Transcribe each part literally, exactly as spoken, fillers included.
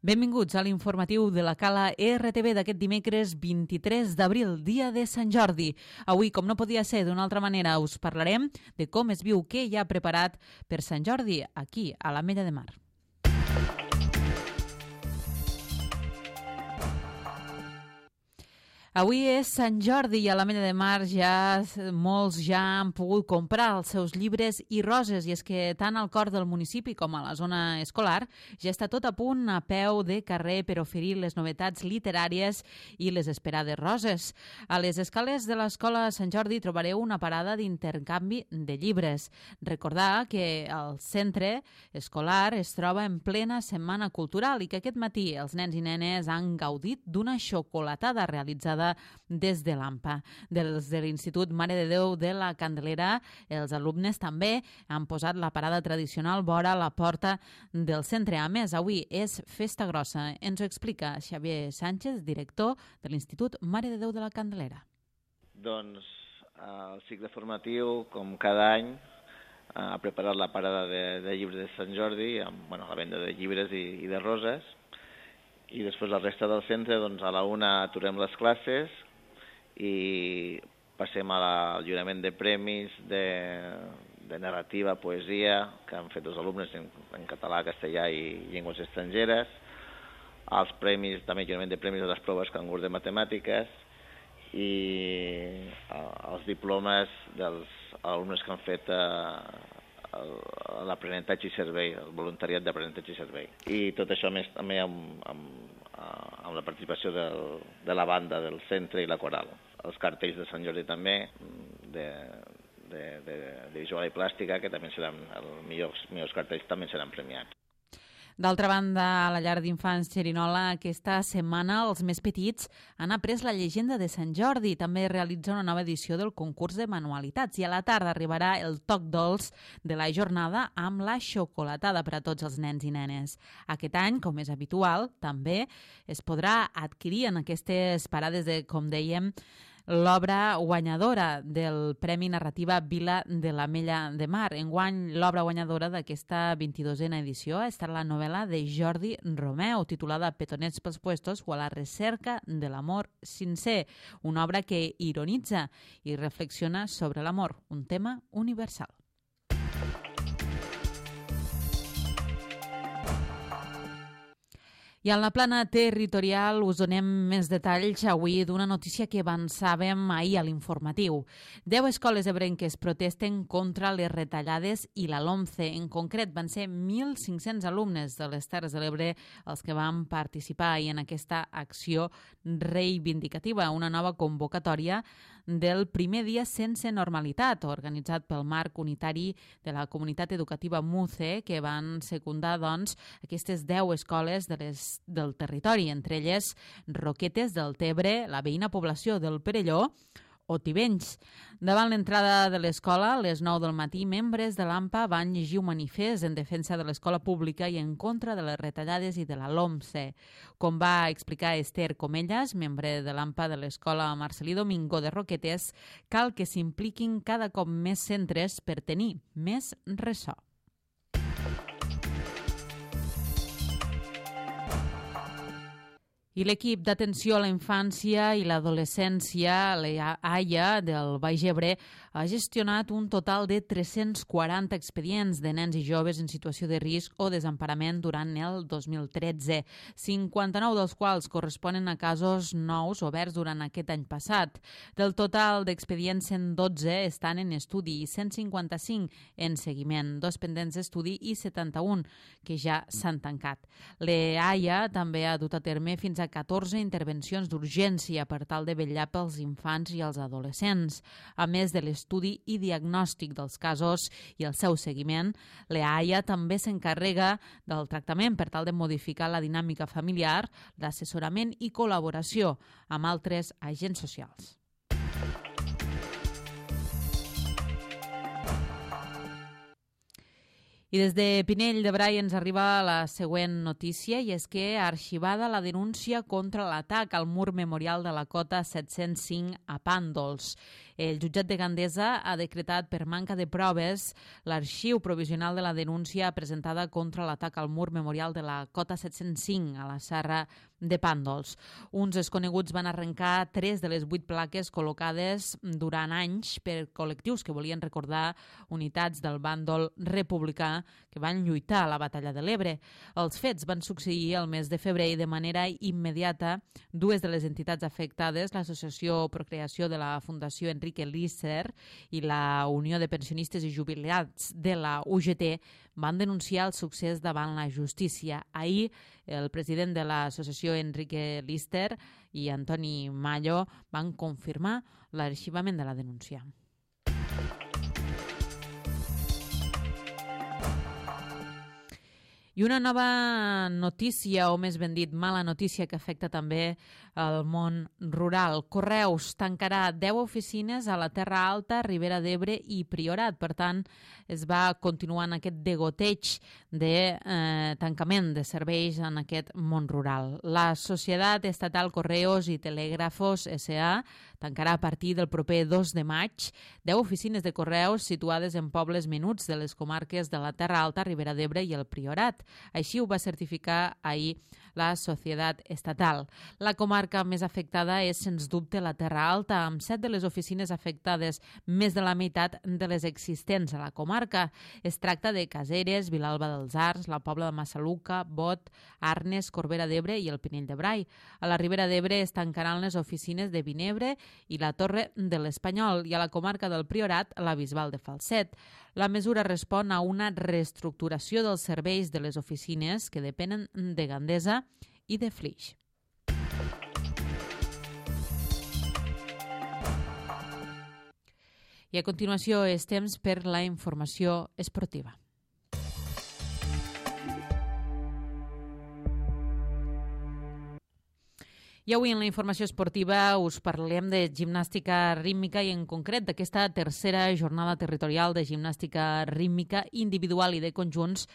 Benvinguts a l'informatiu de la Cala R T V d'aquest dimecres vint-i-tres d'abril, dia de Sant Jordi. Avui, com no podia ser d'una altra manera, us parlarem de com es viu, què hi ha preparat per Sant Jordi aquí, a l'Ametlla de Mar. Avui és Sant Jordi i a l'Ametlla de Mar ja molts ja han pogut comprar els seus llibres i roses, i és que tant al cor del municipi com a la zona escolar ja està tot a punt a peu de carrer per oferir les novetats literàries i les esperades roses. A les escales de l'Escola Sant Jordi trobareu una parada d'intercanvi de llibres. Recordar que el centre escolar es troba en plena setmana cultural i que aquest matí els nens i nenes han gaudit d'una xocolatada realitzada des de l'AMPA. Des de l'Institut Mare de Déu de la Candelera, els alumnes també han posat la parada tradicional vora la porta del centre. A més, avui és festa grossa. Ens ho explica Xavier Sánchez, director de l'Institut Mare de Déu de la Candelera. Doncs el cicle formatiu, com cada any, ha preparat la parada de, de llibres de Sant Jordi, amb bueno, la venda de llibres i, i de roses. I després la resta del centre, doncs a la una aturem les classes i passem al lliurament de premis de, de narrativa, poesia, que han fet els alumnes en, en català, castellà i llengües estrangeres, els premis, també lliurament de premis de les proves cangur de matemàtiques i els diplomes dels alumnes que han fet l'aprenentatge i servei, el voluntariat d'aprenentatge i servei. I tot això més també amb, amb, amb la participació del, de la banda del centre i la coral. Els cartells de Sant Jordi també, de, de, de, de visual i plàstica, que també seran els millors, millors cartells, també seran premiats. D'altra banda, a la llar d'infants Xerinola, aquesta setmana els més petits han après la llegenda de Sant Jordi. També realitza una nova edició del concurs de manualitats i a la tarda arribarà el toc dolç de la jornada amb la xocolatada per a tots els nens i nenes. Aquest any, com és habitual, també es podrà adquirir en aquestes parades de, com dèiem, l'obra guanyadora del Premi Narrativa Vila de l'Ametlla de Mar. Enguany, l'obra guanyadora d'aquesta vint-i-dosena edició ha estat la novel·la de Jordi Romeu, titulada Petonets pels puestos o a la recerca de l'amor sincer, una obra que ironitza i reflexiona sobre l'amor, un tema universal. I en la plana territorial us donem més detalls avui d'una notícia que avançàvem ahir a l'informatiu. Deu escoles ebrenques protesten contra les retallades i la LOMCE. En concret, van ser mil cinc-cents alumnes de les Terres de l'Ebre els que van participar ahir en aquesta acció reivindicativa, una nova convocatòria del primer dia sense normalitat, organitzat pel Marc Unitari de la Comunitat Educativa MUCE, que van secundar doncs, aquestes deu escoles de les del territori, entre elles Roquetes del Tebre, la veïna població del Perelló o Tivenys. Davant l'entrada de l'escola, a les nou del matí, membres de l'AMPA van llegir un manifest en defensa de l'escola pública i en contra de les retallades i de la LOMCE. Com va explicar Esther Comellas, membre de l'AMPA de l'escola Marcelí Domingo de Roquetes, cal que s'impliquin cada cop més centres per tenir més ressò. I l'equip d'atenció a la infància i l'adolescència, l'AIA del Baix Ebre, ha gestionat un total de tres-cents quaranta expedients de nens i joves en situació de risc o desemparament durant el dos mil tretze, cinquanta-nou dels quals corresponen a casos nous oberts durant aquest any passat. Del total d'expedients, cent dotze estan en estudi i cent cinquanta-cinc en seguiment, dos pendents d'estudi i setanta-un que ja s'han tancat. L'AIA també ha dut a terme fins a catorze intervencions d'urgència per tal de vetllar pels infants i els adolescents. A més de l'estudi i diagnòstic dels casos i el seu seguiment, l'AIA també s'encarrega del tractament per tal de modificar la dinàmica familiar, l'assessorament i col·laboració amb altres agents socials. I des de Pinell de Brai ens arriba la següent notícia, i és que ha arxivada la denúncia contra l'atac al mur memorial de la cota set-cents cinc a Pàndols. El jutjat de Gandesa ha decretat per manca de proves l'arxiu provisional de la denúncia presentada contra l'atac al mur memorial de la cota set-cents cinc a la Serra de Pàndols. Uns desconeguts van arrencar tres de les vuit plaques col·locades durant anys per col·lectius que volien recordar unitats del bàndol republicà que van lluitar a la Batalla de l'Ebre. Els fets van succeir el mes de febrer i de manera immediata dues de les entitats afectades, l'Associació Procreació de la Fundació Enrique Lister i la Unió de Pensionistes i Jubilats de la U G T, van denunciar el succés davant la justícia. Ahir, el president de l'associació Enrique Lister i Antoni Mallo van confirmar l'arxivament de la denúncia. I una nova notícia, o més ben dit, mala notícia que afecta també el món rural. Correus tancarà deu oficines a la Terra Alta, Ribera d'Ebre i Priorat. Per tant, es va continuant aquest degoteig de eh, tancament de serveis en aquest món rural. La Societat Estatal Correos i Telègrafos S A tancarà a partir del proper dos de maig deu oficines de correus situades en pobles menuts de les comarques de la Terra Alta, Ribera d'Ebre i el Priorat. Així ho va certificar ahir la Societat Estatal. La comarca més afectada és, sens dubte, la Terra Alta, amb set de les oficines afectades, més de la meitat de les existents a la comarca. Es tracta de Caseres, Vilalba dels Arcs, la Pobla de Massaluca, Bot, Arnes, Corbera d'Ebre i el Pinell de Brai. A la Ribera d'Ebre es tancaran les oficines de Vinebre i la Torre de l'Espanyol, i a la comarca del Priorat, la Bisbal de Falset. La mesura respon a una reestructuració dels serveis de les oficines que depenen de Gandesa i de Flix. I a continuació és temps per la informació esportiva. I avui en la informació esportiva us parlem de gimnàstica rítmica i en concret d'aquesta tercera jornada territorial de gimnàstica rítmica individual i de conjunts,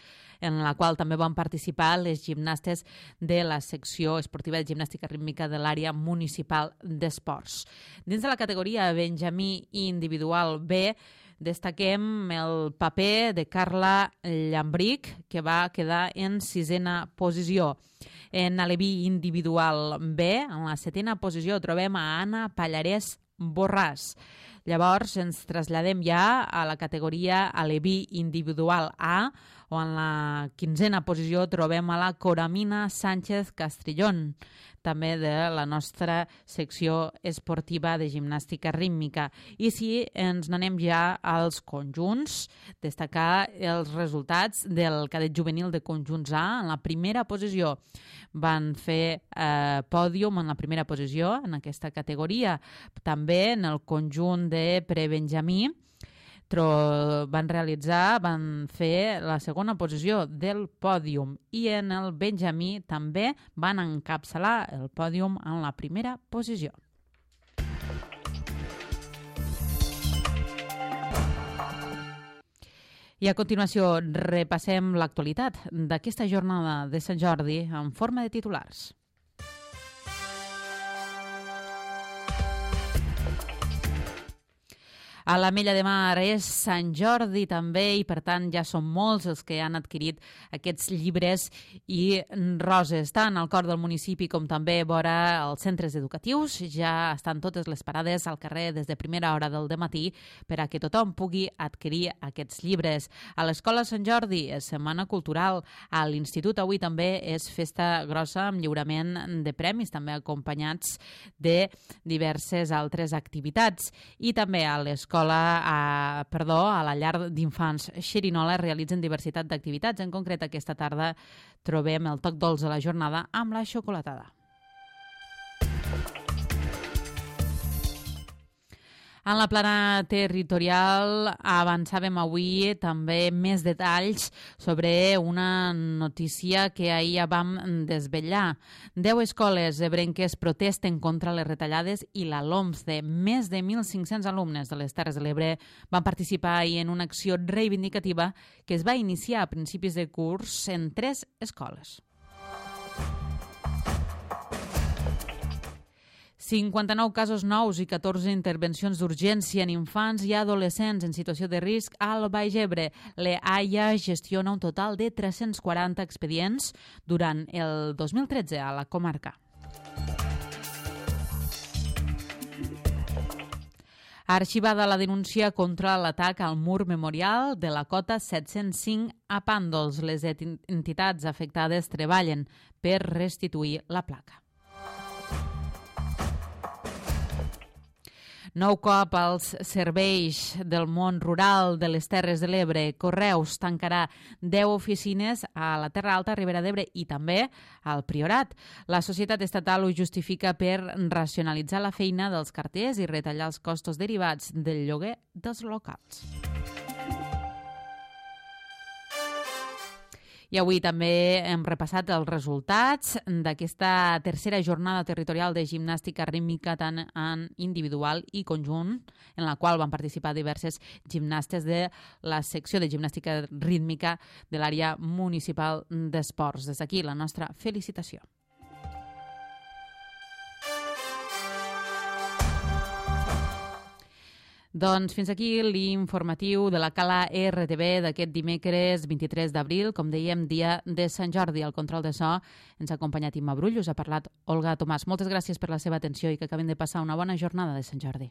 en la qual també van participar les gimnastes de la secció esportiva de gimnàstica rítmica de l'àrea municipal d'esports. Dins de la categoria Benjamí individual B, destaquem el paper de Carla Llambric, que va quedar en sisena posició. En aleví individual B, en la setena posició, trobem a Anna Pallarès Borràs. Llavors ens traslladem ja a la categoria aleví individual A, on en la quinzena posició trobem a la Coramina Sánchez Castrillón, també de la nostra secció esportiva de gimnàstica rítmica. I si ens n'anem ja als conjunts, destacar els resultats del cadet juvenil de conjunts A. En la primera posició van fer eh, pòdium en la primera posició en aquesta categoria. També en el conjunt de prebenjamí van realitzar, van fer la segona posició del pòdium, i en el benjamí també van encapçalar el pòdium en la primera posició. I a continuació repassem l'actualitat d'aquesta jornada de Sant Jordi en forma de titulars. A l'Ametlla de Mar és Sant Jordi també, i per tant ja són molts els que han adquirit aquests llibres i roses. Tant al cor del municipi com també vora els centres educatius ja estan totes les parades al carrer des de primera hora del dematí per a que tothom pugui adquirir aquests llibres. A l'Escola Sant Jordi és Setmana Cultural. A l'Institut avui també és festa grossa amb lliurament de premis, també acompanyats de diverses altres activitats. I també a l'Escola A, perdó, a la llar d'infants Xerinola realitzen diversitat d'activitats. En concret, aquesta tarda trobem el toc dolç de la jornada amb la xocolatada. En la plana territorial avançàvem avui també més detalls sobre una notícia que ahir ja vam desvetllar. Deu escoles ebrenques protesten contra les retallades i la LOMCE. Més de mil cinc-cents alumnes de les Terres de l'Ebre van participar ahir en una acció reivindicativa que es va iniciar a principis de curs en tres escoles. cinquanta-nou casos nous i catorze intervencions d'urgència en infants i adolescents en situació de risc al Baix Ebre. L'EAIA gestiona un total de tres-cents quaranta expedients durant el dos mil tretze a la comarca. Arxivada la denúncia contra l'atac al mur memorial de la cota set-cents cinc a Pàndols. Les entitats afectades treballen per restituir la placa. Nou cop als serveis del món rural de les Terres de l'Ebre. Correus tancarà deu oficines a la Terra Alta, Ribera d'Ebre i també al Priorat. La societat estatal ho justifica per racionalitzar la feina dels carters i retallar els costos derivats del lloguer dels locals. I avui també hem repassat els resultats d'aquesta tercera jornada territorial de gimnàstica rítmica tant en individual i conjunt, en la qual van participar diverses gimnastes de la secció de gimnàstica rítmica de l'àrea municipal d'esports. Des d'aquí la nostra felicitació. Doncs fins aquí l'informatiu de la Cala R T V d'aquest dimecres vint-i-tres d'abril, com dèiem, dia de Sant Jordi. Al control de so ens ha acompanyat Imma Brull, us ha parlat Olga Tomàs. Moltes gràcies per la seva atenció i que acabem de passar una bona jornada de Sant Jordi.